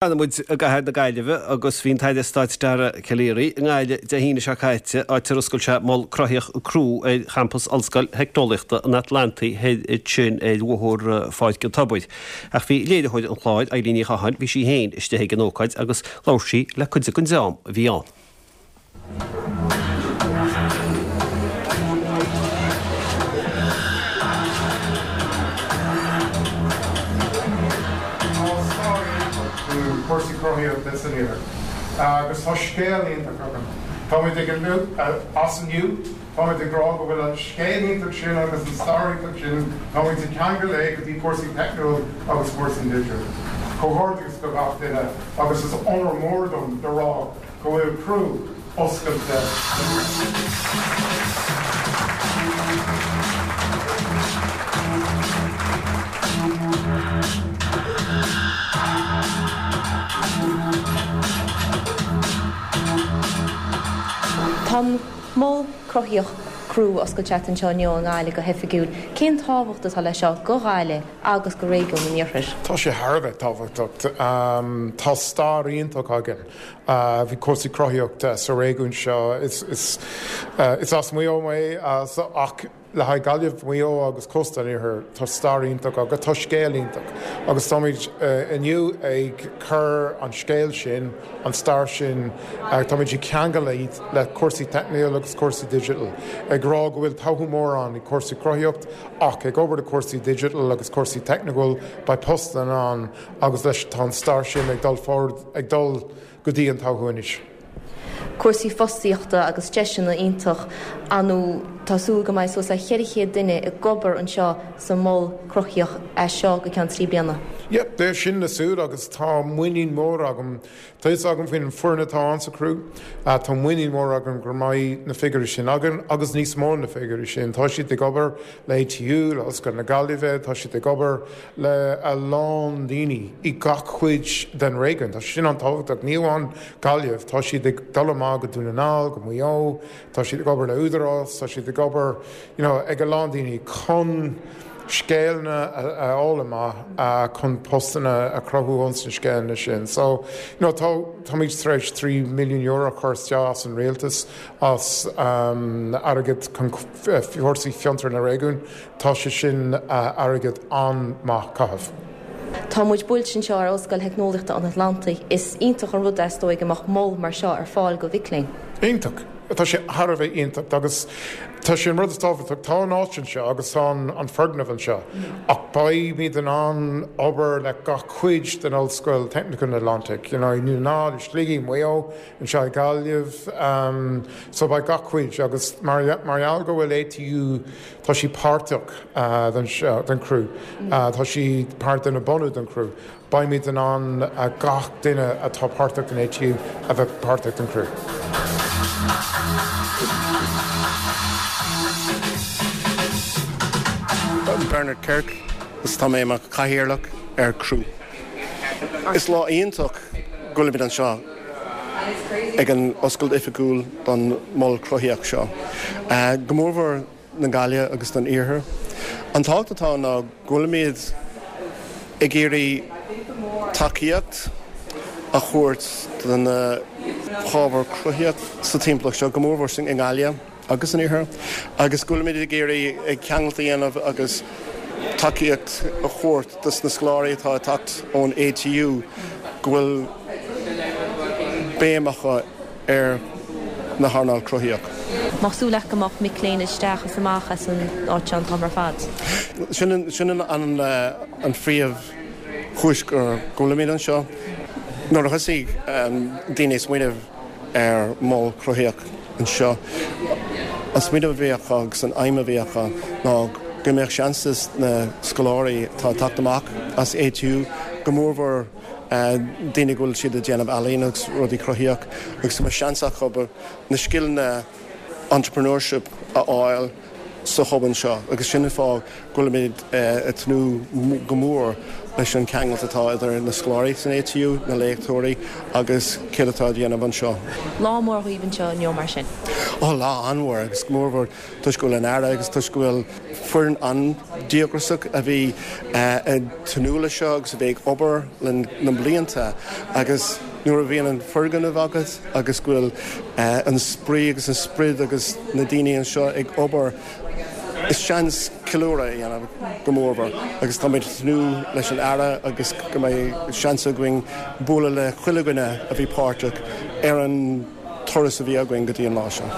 Fanfaidh muid i gcathair na Gaillimhe agus bhí an tAire Stáit Dara Calleary i nGaillimh Dé hAoine seo caite, áit ar oscail sé Mol Cruthaíoch Crew ar champas Ollscoil Theicneolaíochta an Atlantaigh thoir ansin ar Bhóthar Pháirc an Tobair. Ach bhí léiritheoir an chláir, Eilín Ní Chatháin, bhí sí féin istigh ag an ócáid agus labhair sí le cuid den dream a bhí ann. Tá stair iontach do chúrsaí cruthaíochta san Iarthar agus tá scéal iontach againn. Táimid ag as inniu, táimid ag rá go bhfuil an scéal iontach sin agus an stair iontach sin, táimid ag ceangal é go dtí cúrsaí teicniúil agus cúrsaí digital. Comhghairdeas do gach duine agus is onóir mór dom le rá go bhfuil Crew oscailte Tá an Mol Cruthaíoch Crew oscailte agat anseo inniu i nGaillimh go hoifigiúil. Cén tábhacht atá leis seo go Ghaillimh agus go réigiún an Iarthair? Tá sé thar a bheith tábhachtach. Tá stair iontach againn. Bhí cúrsaí cruthaíochta sa réigiún seo. Is as Maigh Eo mé ach le haghaidh Gaillimh, Maigh Eo agus cósta an Iarthair, tá stair iontach agus tá scéal iontach agus táimid inniu ag cur an scéal sin, an stair sin, táimid ag ceangal iad le cúrsaí teicniúil agus cúrsaí digital, ag rá go bhfuil todhchaí mór ann i cúrsaí cruthaíocht ach ag obair le cúrsaí digital agus cúrsaí teicniúil, beidh postanna ann. Agus leis tá an stair sin ag dul forward, ag dul go dtí an todhchaí anois. Cúrsaí fostaíochta agus deiseanna iontach ann. Tá súil go mbeidh suas le 400 duine ag obair anseo sa Mhol Cruthaíoch as seo go ceann 3 bliana. Yep, sin na súil agus tá muinín mór agam Tá fhios agam faoin bhfoireann atá ann sa Crew. Tá muinín mór agam go mbeidh na figiúirí sin againn agus níos mó na figiúirí sin. Tá siad ag obair le ATU, le Ollscoil na Gaillimhe, tá siad ag obair le a lán daoine i gach cuid den réigiún. Tá sé sin an-tábhachtach. Ní amháin Gaillimh, tá siad ag dul amach go Dún na nGall, go Maigh Eo, tá siad ag obair le Údarás, tá siad ag obair you know ag a lán daoine chun scéimeanna a fháil amach chun postanna a chruthú ins na scéimeanna sin. So, you know, tá, táimid tar éis €3 milliún a chur isteach as an rialtas, as airgead chun fórsaí fiontar na réigiún. Tá sé sin airgead an-maith caitheamh. Tá muid buailte anseo ar Ollscoil Theicneolaíochta an Atlantaigh. Is iontach an rud é, is dóigh, go mbeadh mol mar seo ar fáil go mhic léinn. Iontach. Tá sé thar a bheith iontach agus tá sé an rud is tábhachtach. Tá an áit anseo agus tá an foirgneamh anseo ach beimid in ann obair le gach cuid den Ollscoil Technical Atlantic, you know, i nDún na nGall, i Sligigh, Maigh Eo, anseo i Gaillimh. So beidh gach cuid agus mar gheall go bhfuil ATU, tá sí páirteach den Crew, tá sí páirt de na bunú den Crew. Beimid in ann gach duine atá páirteach den ATU a bheith páirteach den Crew. Bernard Kirk agus tá mé i mo chathaoirleach ar Crew. Is lá iontach go bhfuilimid anseo ag an oscailt oifigiúil don mhol cruthaíoch seo. Go mórmhór na Gaillimhe agus don Iarthar. An tábhacht atá ann ná go bhfuilimid ag iarraidh tacaíocht a thabhairt do na hábhair cruthaíoch sa timpeallacht seo, go mórmhór i nGaillimh agus san Iarthar, agus go bhfuilimid ag iarraidh ceangailt a dhéanamh agus tacaíocht a thabhairt dos na scoláirí atá ag teacht ón ATU go bhfuil béim acu ar na hearnáil cruthaíoch. Mbeadh súil agat go mbeadh mic léinn isteach is amach as an áit seo an t-am ar fad? Sin an phríomh chúis go bhfuilimid anseo. Nuair a thosaigh daoine ag smaoineamh ar mhol cruthaíoch anseo, an smaoineamh a bhí acu agus an aidhm a bhí acu ná go mbeadh seans dos na scoláirí atá ag teacht amach as ATU, go mórmhór daoine go bhfuil siad ag déanamh ealaín agus rudaí cruthaíoch agus go mbeadh seans acu na scileanna entrepreneurship a fháil. sa hub anseo agus sin an fáth go bhfuilimid ag tnúth go mór leis an ceangailt atá idir na scoláirí san ATU, na léachtóirí agus céard atá á dhéanamh anseo. Lá mór dhaoibh anseo inniu mar sin. Ó, lá an-mhór agus go mórmhór toisc go bhfuil an Aire agus toisc go bhfuil foireann an-díograiseach a bhí ag tnúth leis seo agus a bhí ag obair le na blianta agus nuair a bhíonn an foirgneamh agat agus go bhfuil an spraoi agus an sprid agus na daoine anseo ag obair is seans ceiliúradh a dhéanamh go mórmhór agus táimid ag tnúth leis an Aire agus go mbeidh seans againn bualadh le chuile dhuine a bhí páirteach ar an turas a bhí againn go dtí an lá seo.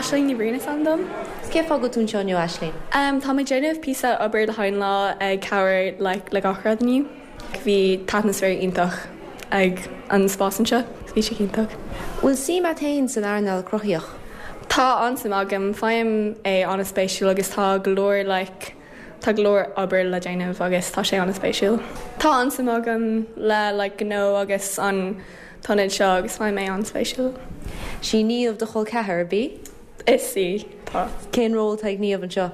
Aisling Ní Bhriain is ainm dom. Cén fáth go bhfuil tú anseo inniu, Aisling? Tá mé ag déanamh píosa obair le haghaidh an lá ag cabhair like le gach rud inniu. Bhí t-atmaisféar iontach ag an spás anseo. Bhí sé iontach. Bhfuil suim agat féin san earnáil cruthaitheach? Tá an-suim agam. Faighim é an-spéisiúil agus tá go leor like Tá go leor obair le déanamh agus tá sé an-spéisiúil. Tá an-suim agam le like gnó agus an t-ionad seo agus faighim é an-spéisiúil. Sí Niamh do chol ceathar, ab í? Is í, tá. Cén ról atá ag Niamh anseo?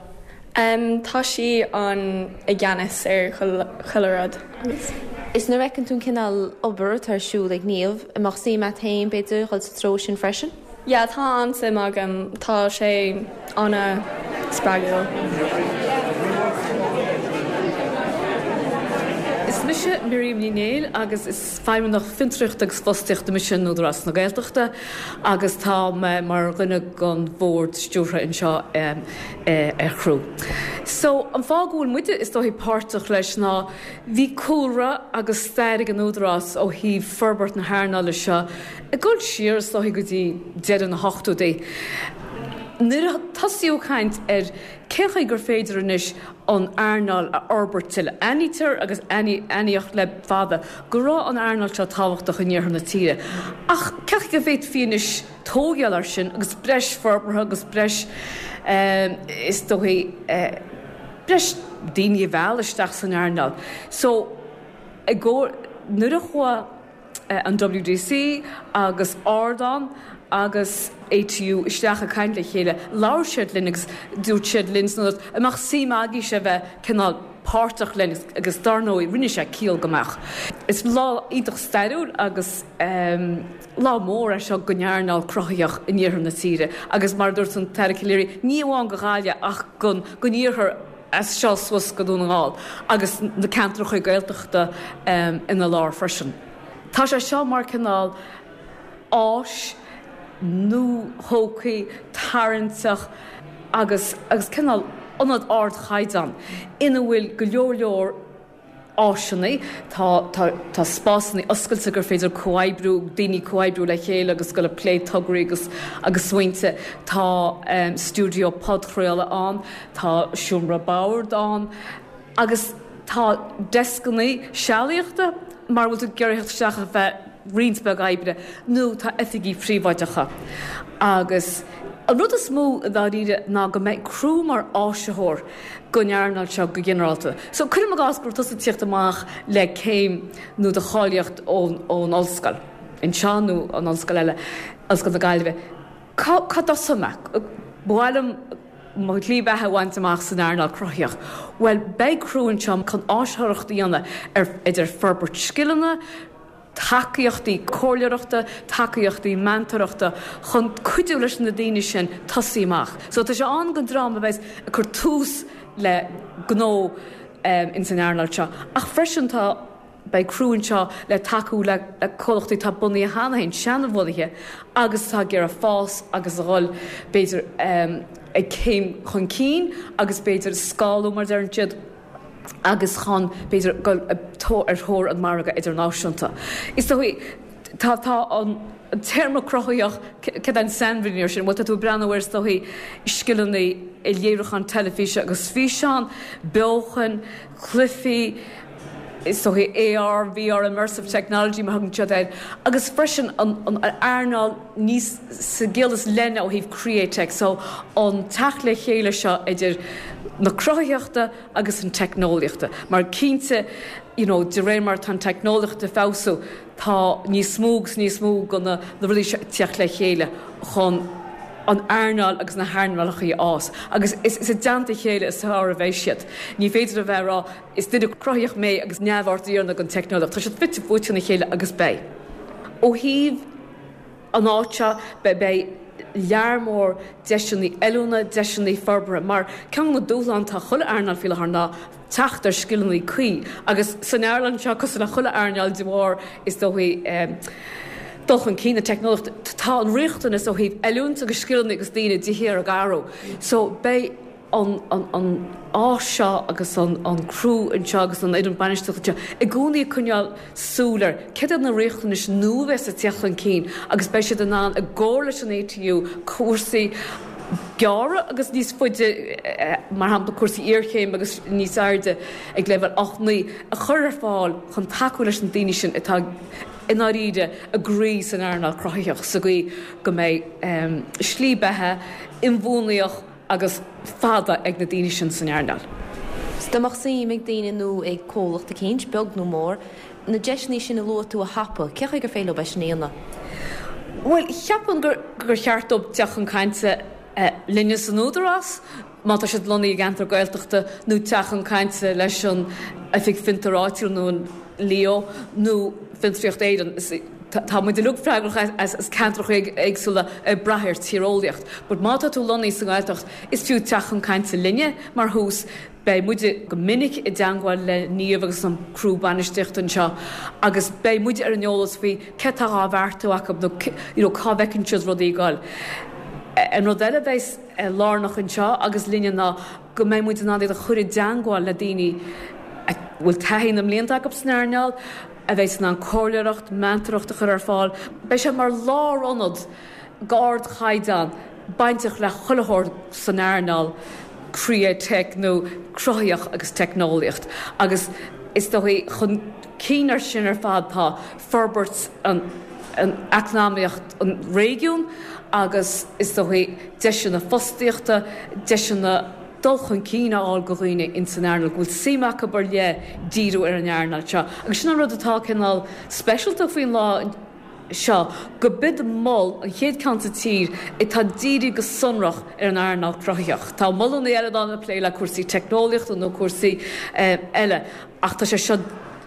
Em, tá sí an i gceannas ar chuile rud agus. Is nuair a fheiceann tú an cineál obair atá ar siúl ag Niamh, an mbeadh suim agat féin, b'fhéidir, dhul sa treo sin freisin? Yeah, tá an-suim agam. Tá sé an-spreagúil. Is mise Miriam Ní Néill agus is Feidhmeannach Fiontraíochta agus Fostaíochta mise in Údarás na Gaeltachta agus tá mé mar dhuine den bhord stiúrtha anseo ar Chriú. So, an fáth go bhfuil muide is dóichí páirteach leis ná bhí cúlra agus stair ag an Údarás ó thaobh forbairt na hearnála seo Ag dul siar, is dóichí, go dtí deireadh na hochtóidí, nuair a tosaíodh caint ar cén chaoi gur féidir anois an earnáil a fhorbairt tuilleadh. Aithnítear agus aithníodh le fada go raibh an earnáil seo tábhachtach in iarthar na tíre. Ach cén chaoi go bhféadfaí anois tógáil air sin agus breis forbartha agus breis, is dóichí, breis daoine a mhealladh isteach san earnáil. So, i gcomhar, nuair a chuaigh. an WDC agus Ardán agus ATU isteach ag caint le chéile. Labhair siad linn agus dúirt siad linn san Údarás an mbeadh suim agaibhse a bheith cineál páirteach linn agus dar ndóigh rinne sé ciall go mbeadh. Is lá iontach stairiúil agus lá mór é seo don earnáil cruthaitheach in iarthar na tíre agus mar a dúirt an tAire Calleary ní amháin do Ghaillimh ach don iarthar as seo suas go Dún na nGall agus na ceantracha Gaeltachta ina lár freisin. Tá sé seo mar cineál áis nuathógtha, tarraingteach agus agus cineál ionad ardchaighdeán ina bhfuil go leor leor áiseanna, tá tá tá spásanna oscailte gur féidir comhoibriú, daoine comhoibriú le chéile agus dul ag plé tograí agus agus smaointe, tá stiúideo podchraoladh ann, tá seomra boird ann agus tá deascanna sealaíochta mara bhfuil tú ag iarraidh theacht isteach ar feadh roinnt beag oibre nó tá oifigí príobháideacha agus an rud is mó i ndáiríre ná go mbeidh Criú mar áisitheoir don earnáil seo go ginearálta. So cuirim i gcás go raibh tusa ag tíocht amach le céim nó do cháilíocht ón ón ollscoil anseo nó an ollscoil eile, Ollscoil na Gaillimhe. Cá cá dtosóidh mé? Ba mhaith liom mo shlí bheatha a bhaint amach san earnáil cruthaitheach. Bhuel, beidh Criú anseo chun áisitheoireacht a dhéanamh ar idir forbairt scileanna, tacaíochtaí comhairleoireachta, tacaíochtaí meantóireachta chun cuidiú leis na daoine sin tosaí amach. So tá sé ann don dream a bheas ag cur tús le gnó ins an earnáil seo. Ach freisin tá, beidh Criú anseo le tacú le comhlachtaí atá bunaithe cheana féin, seanbhunaithe agus atá ag iarraidh fás agus a dhul b'fhéidir ag céim chun cinn agus b'fhéidir scálú mar a deireann siad. agus chun, b'fhéidir, dul ar thóir an mhargadh idirnáisiúnta. Is dóigh, tá, tá an téarma cruthaitheach, céard é an sainmhíniú air sin? Bhuel, tá tú ag breathnú ar, is dóigh, scileanna i léiriúchán teilifíse agus físeán, beochan, cluichí, is dóigh AR, VR, immersive technology mar a thugann siad air, agus freisin an, an earnáil níos, sa gciall is leithne ó thaobh createch, so an teacht le chéile seo idir. na cruthaitheachta agus an teicneolaíochta mar cinnte you know de réir mar atá an teicneolaíocht ag feabhsú tá níos mó agus níos mó de na rudaí seo ag teacht le chéile chun an earnáil agus na hearnálacha a fhás agus is i dteannta a chéile is fearr a bheidh siad. Ní féidir a bheith ag rá is duine cruthaitheach mé agus neamhaird a dhéanamh den teicneolaíocht. Tá siad fite fuaite ina chéile agus beidh. Ó thaobh an áit seo, beidh lear mór deiseanna oiliúna, deiseanna forbartha, mar ceann de na dúshláin atá chuile earnáil faoi láthair ná teacht ar scileanna cuí agus san earnáil seo, cosúil le chuile earnáil de bharr, is dóigh, dul chun cinn na teicneolaíochta, tá an riachtanas ó thaobh oiliúint agus scileanna agus daoine de shíor ag athrú. So beidh. an áis seo agus an criú anseo agus an fhoireann bainistíochta anseo i gcónaí ag coinneáil súil ar céard iad na riachtanais nua a bheas ag teacht chun cinn agus beidh siad in ann i gcomhar leis an ATU cúrsaí gearra agus níos faide mar shampla cúrsaí iarchéime agus níos airde ag leibhéal 8, 9 a chur ar fáil chun tacú leis na daoine sin atá i ndáiríre a gcroí san earnáil cruthaitheach sa gcaoi go mbeidh slí beatha inbhuanaíoch agus fada ag na daoine sin san earnáil. 'S dá mbeadh suim ag daoine nó ag comhlacht eicínt, beag nó mór, na deiseanna sin a luaigh tú a thapú, cén chaoi gur féidir leo é sin a dhéanamh? Bhuel, cheapfainn gur cheart dóibh teacht chun cainte linne san Údarás, má tá siad lonnaithe i gceantar Gaeltachta, nó teacht chun cainte leis an Oifig Fiontair Áitiúil nó an Leo nó Fiontraíocht Éireann. Tá muid uilig freagrach as ceantracha éagsúla ag brath ar tíreolaíocht. But má tá tú lonnaithe sa nGaeltacht, is fiú teacht chun cainte linne mar thús. Beidh muide go minic i dteangmháil le Niamh agus an criú bainistíochta anseo agus beidh muide ar an eolas faoi céard atá á bheartú acu nó you know cá bhfeiceann siad rudaí ag goil. An rud eile a bheas lárnach anseo agus linne ná go mbeidh muid in ann iad a chur i dteangmháil le daoine a bhfuil taithí na mblianta acu san earnáil, a bheidh in ann comhairleoireacht, meantóireacht a chur ar fáil. Beidh sé mar lárionad d'ardchaighdeán bainteach le chuile shórt san earnáil createch nó cruthaitheach agus teicneolaíocht agus is dóigh chun cinn ar sin ar fad tá forbairt an eacnamaíocht an réigiún agus is dóigh deiseanna fostaíochta, deiseanna dul chun cinn a fháil do dhaoine ins an earnáil, go bhfuil suim acu ar leith díriú ar an earnáil seo. Agus sin an rud atá cineál speisialta faoin lá seo, go b'iod mol, an chéad ceann sa tír, atá dírithe go sonrach ar an earnáil cruthaitheach. Tá molanna eile ann ag plé le cúrsaí teicneolaíochta nó cúrsaí eile ach tá sé seo,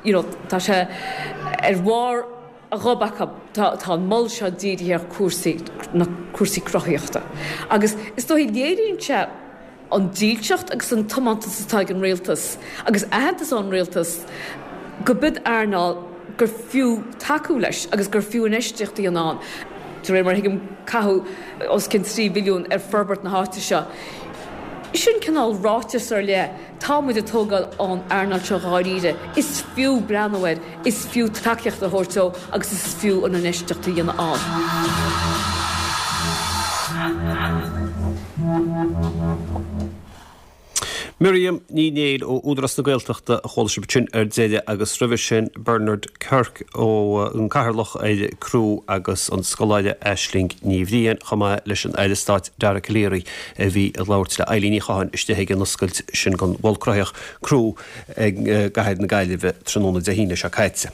you know, tá sé ar bharr a ghob acu. Tá tá an mol seo dírithe ar chúrsaí na cúrsaí cruthaitheachta. Agus is dóigh léiríonn sé an dílseacht agus an tiomantas atá ag an rialtas agus aitheantas ón rialtas go b'iod earnáil gur fiú tacú leis agus gur fiú infheistíocht a dhéanamh ann. De réir mar a thuigim caitheadh os cionn 3 bhilliún ar forbairt na háite seo. Sin cineál ráiteas ar leith. Tá muid ag tógáil an earnáil seo dháiríre. Is fiú breathnú air, is fiú tacaíocht a thabhairt dó agus is fiú an infheistíocht a dhéanamh ann. Miriam Ní Néill ó Údarás na Gaeltachta a chuala sibh ansin ar deireadh agus roimhe sin Bernard Kirk ó an Cathaoirleach ar CROO agus an scoláire Aisling Ní Bhriain chomh maith leis an Aire Stáit Dara Calleary a bhí ag labhairt le Eilín Ní Chatháin istigh ag an oscailt sin den Mhol Cruthaitheach CROO i gcathair na Gaillimhe tráthnóna Dé hAoine seo caite.